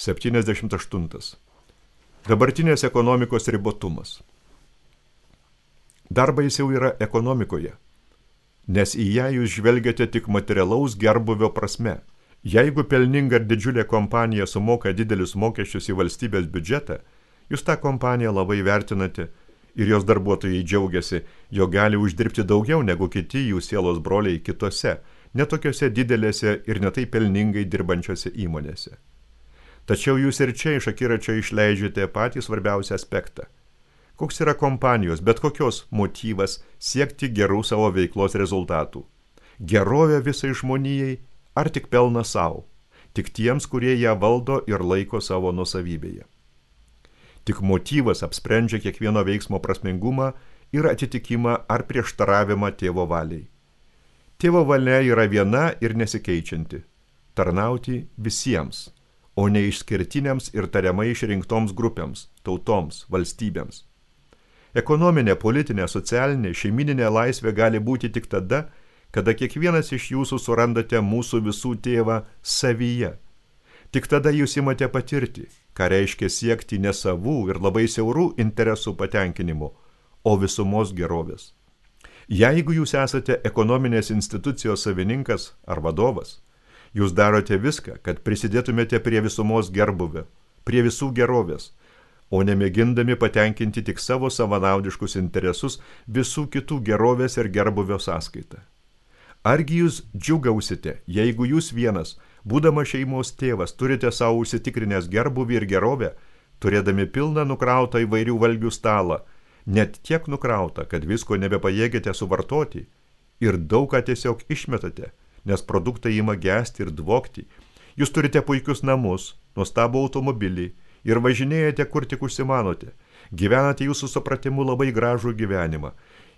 78. Dabartinės ekonomikos ribotumas. Dar baisiau yra ekonomikoje, nes į ją jūs žvelgiate tik materialaus gerbuvio prasme. Jeigu pelninga ir didžiulė kompanija sumoka didelius mokesčius į valstybės biudžetą, jūs tą kompaniją labai vertinate ir jos darbuotojai džiaugiasi, jo gali uždirbti daugiau negu kiti jų sielos broliai kitose, netokiose didelėse ir netai pelningai dirbančiose įmonėse. Tačiau jūs ir čia iš akiračio išleidžiate patį svarbiausią aspektą. Koks yra kompanijos, bet kokios motyvas siekti gerų savo veiklos rezultatų? Gerovė visai žmonijai ar tik pelną savo? Tik tiems, kurie ją valdo ir laiko savo nuosavybėje. Tik motyvas apsprendžia kiekvieno veiksmo prasmingumą ir atitikimą ar prieštaravimą tėvo valiai. Tėvo valia yra viena ir nesikeičianti – tarnauti visiems, o ne išskirtiniams ir tariamai išrinktoms grupėms, tautoms, valstybėms. Ekonominė, politinė, socialinė, šeimininė laisvė gali būti tik tada, kada kiekvienas iš jūsų surandate mūsų visų tėvą savyje. Tik tada jūs imate patirti, ką reiškia siekti ne savų ir labai siaurų interesų patenkinimo, o visumos gerovės. Jeigu jūs esate ekonominės institucijos savininkas ar vadovas, jūs darote viską, kad prisidėtumėte prie visumos gerbuvio, prie visų gerovės, o nemėgindami patenkinti tik savo savanaudiškus interesus visų kitų gerovės ir gerbuvio sąskaitą. Argi jūs džiugausite, jeigu jūs vienas, būdama šeimos tėvas, turite savo užsitikrinęs gerbuvį ir gerovę, turėdami pilną nukrautą įvairių valgių stalą, net tiek nukrautą, kad visko nebepajėgėte suvartoti ir daug ką tiesiog išmetate, nes produktai ima gesti ir dvokti. Jūs turite puikius namus, nuostabų automobilį ir važinėjate, kur tik užsimanote. Gyvenate jūsų supratimu labai gražų gyvenimą.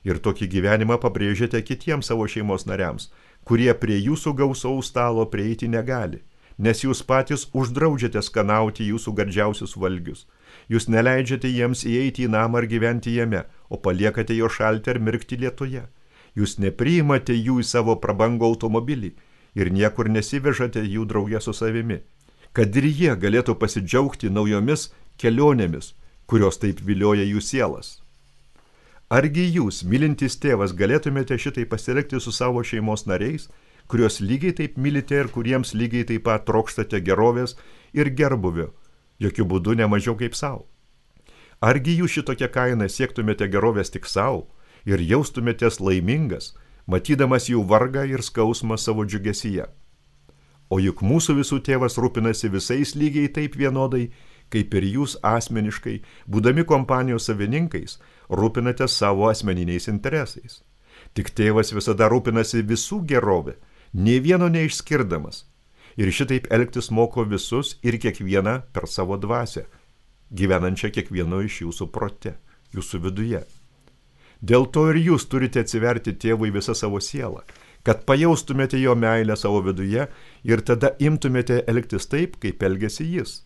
Ir tokį gyvenimą pabrėžiate kitiems savo šeimos nariams, kurie prie jūsų gausaus stalo prieiti negali, nes jūs patys uždraudžiate skanauti jūsų gardžiausius valgius. Jūs neleidžiate jiems įeiti į namą ar gyventi jame, o paliekate jo šalti ar mirkti lietuje. Jūs nepriimate jų į savo prabangų automobilį ir niekur nesivežate jų drauge su savimi, kad ir jie galėtų pasidžiaugti naujomis kelionėmis, kurios taip vilioja jų sielas. Argi jūs, mylintis tėvas, galėtumėte šitai pasielgti su savo šeimos nariais, kurios lygiai taip mylite ir kuriems lygiai taip pat trokštate gerovės ir gerbuvio, jokių būdų ne mažiau kaip savo? Argi jūs šitokią kainą siektumėte gerovės tik savo ir jaustumėtės laimingas, matydamas jų vargą ir skausmą savo džiugesyje? O juk mūsų visų tėvas rūpinasi visais lygiai taip vienodai, kaip ir jūs asmeniškai, būdami kompanijos savininkais, rūpinate savo asmeniniais interesais. Tik tėvas visada rūpinasi visų gerovę, nė vieno neišskirdamas. Ir šitaip elgtis moko visus ir kiekvieną per savo dvasią, gyvenančią kiekvieno iš jūsų prote, jūsų viduje. Dėl to ir jūs turite atsiverti tėvui visą savo sielą, kad pajaustumėte jo meilę savo viduje ir tada imtumėte elgtis taip, kaip elgiasi jis.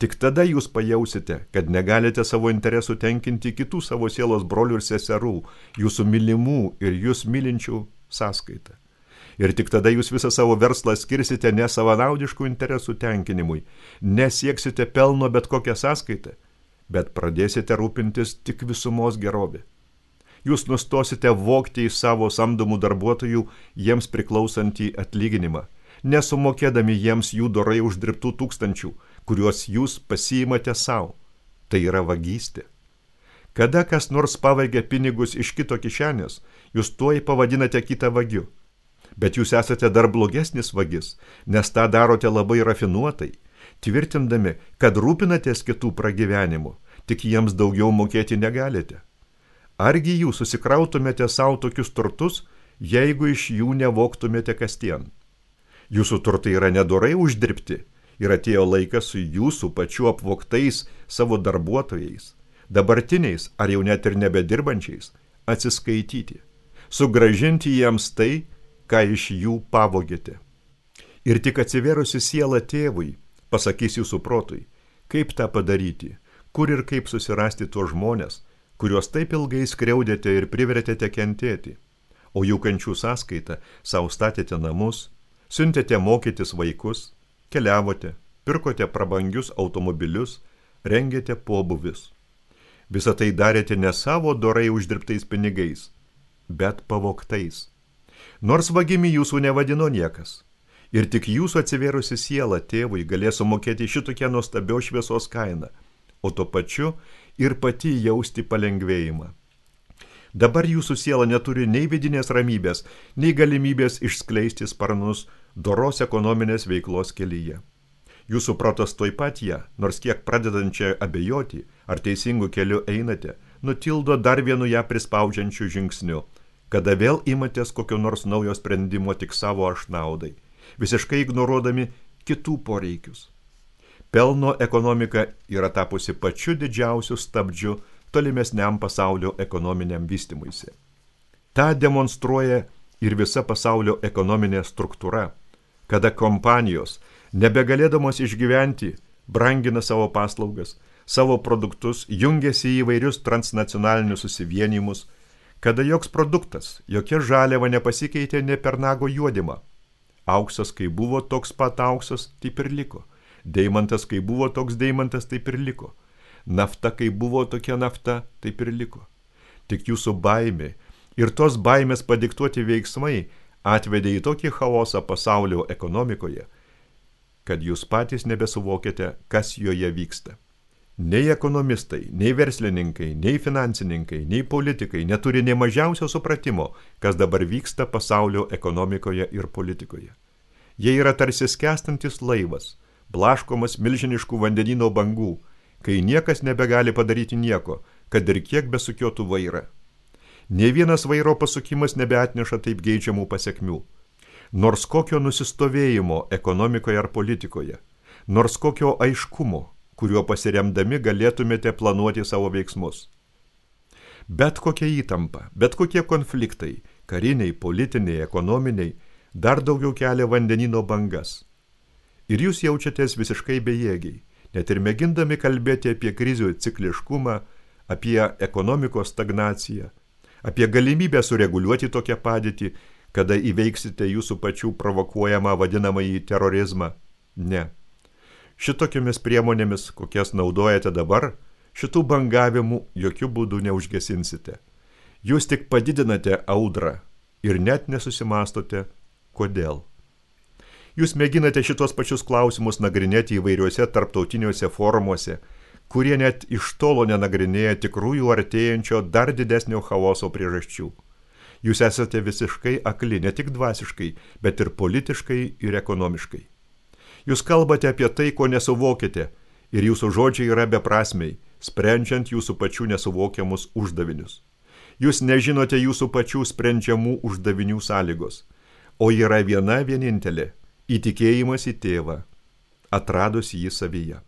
Tik tada jūs pajausite, kad negalite savo interesų tenkinti kitų savo sielos brolių ir seserų, jūsų mylimų ir jūs mylinčių sąskaitą. Ir tik tada jūs visą savo verslą skirsite ne savanaudiškų interesų tenkinimui, nesieksite pelno bet kokią sąskaitą, bet pradėsite rūpintis tik visumos gerovė. Jūs nustosite vogti iš savo samdomų darbuotojų jiems priklausantį atlyginimą, nesumokėdami jiems jų dorai uždirbtų tūkstančių, kuriuos jūs pasiimate savo. Tai yra vagystė. Kada kas nors pavagia pinigus iš kito kišenės, jūs tuoj pavadinate kitą vagiu. Bet jūs esate dar blogesnis vagis, nes tą darote labai rafinuotai, tvirtindami, kad rūpinatės kitų pragyvenimu, tik jiems daugiau mokėti negalite. Argi jūs susikrautumėte savo tokius turtus, jeigu iš jų nevoktumėte kasdien? Jūsų turtai yra nedorai uždirbti ir atėjo laikas su jūsų pačių apvogtais savo darbuotojais, dabartiniais ar jau net ir nebedirbančiais, atsiskaityti, sugrąžinti jiems tai, ką iš jų pavogėte. Ir tik atsivėrusi siela tėvui pasakys jūsų protui, kaip tą padaryti, kur ir kaip susirasti tuos žmonės, kuriuos taip ilgai skriaudėte ir privertėte kentėti, o jų kančių sąskaitą sau statėte namus, siuntėte mokytis vaikus, keliavote, pirkote prabangius automobilius, rengėte pobūvius. Visą tai darėte ne savo dorai uždirbtais pinigais, bet pavogtais. Nors vagimi jūsų nevadino niekas. Ir tik jūsų atsivėrusi siela tėvui galės sumokėti šitokią nuostabios šviesos kainą, o tuo pačiu ir pati jausti palengvėjimą. Dabar jūsų siela neturi nei vidinės ramybės, nei galimybės išskleisti sparnus doros ekonominės veiklos kelyje. Jūsų protas tuoj pat ją, nors kiek pradedančią abejoti, ar teisingų keliu einate, nutildo dar vienu ją prispaudžiančiu žingsniu, kada vėl imatės kokio nors naujo sprendimo tik savo aš naudai, visiškai ignoruodami kitų poreikius. Pelno ekonomika yra tapusi pačiu didžiausiu stabdžiu tolimesniam pasaulio ekonominiam vystymuisi. Ta demonstruoja ir visa pasaulio ekonominė struktūra, kada kompanijos, nebegalėdamos išgyventi, brangina savo paslaugas, savo produktus, jungiasi į įvairius transnacionalinius susivienijimus, kada joks produktas, jokia žaliava nepasikeitė ne per nago juodimą. Auksas, kai buvo toks pat auksas, taip ir liko. Deimantas, kai buvo toks deimantas, taip ir liko. Nafta, kai buvo tokia nafta, taip ir liko. Tik jūsų baimė ir tos baimės padiktuoti veiksmai atvedė į tokį chaosą pasaulio ekonomikoje, kad jūs patys nebesuvokėte, kas joje vyksta. Nei ekonomistai, nei verslininkai, nei finansininkai, nei politikai neturi nei mažiausio supratimo, kas dabar vyksta pasaulio ekonomikoje ir politikoje. Jie yra tarsi skęstantis laivas, blaškomas milžiniškų vandenyno bangų, kai niekas nebegali padaryti nieko, kad ir kiek besukiotų vairą. Nė vienas vairo pasukimas nebeatneša taip geidžiamų pasekmių. Nors kokio nusistovėjimo ekonomikoje ar politikoje, nors kokio aiškumo, kuriuo pasiremdami galėtumėte planuoti savo veiksmus. Bet kokia įtampa, bet kokie konfliktai, kariniai, politiniai, ekonominiai, dar daugiau kelia vandenyno bangas. Ir jūs jaučiatės visiškai bejėgiai, net ir mėgindami kalbėti apie krizių cikliškumą, apie ekonomikos stagnaciją, apie galimybę sureguliuoti tokią padėtį, kada įveiksite jūsų pačių provokuojamą vadinamąjį terorizmą. Ne. Šitokiomis priemonėmis, kokias naudojate dabar, šitų bangavimų jokių būdų neužgesinsite. Jūs tik padidinate audrą ir net nesusimastote, kodėl. Jūs mėginate šitos pačius klausimus nagrinėti įvairiuose tarptautiniuose forumuose, kurie net iš tolo nenagrinėja tikrųjų artėjančio dar didesnio chaoso priežasčių. Jūs esate visiškai akli, ne tik dvasiškai, bet ir politiškai ir ekonomiškai. Jūs kalbate apie tai, ko nesuvokite, ir jūsų žodžiai yra beprasmiai, sprendžiant jūsų pačių nesuvokiamus uždavinius. Jūs nežinote jūsų pačių sprendžiamų uždavinių sąlygos, o yra viena vienintelė – įtikėjimas į tėvą, atradus jį savyje.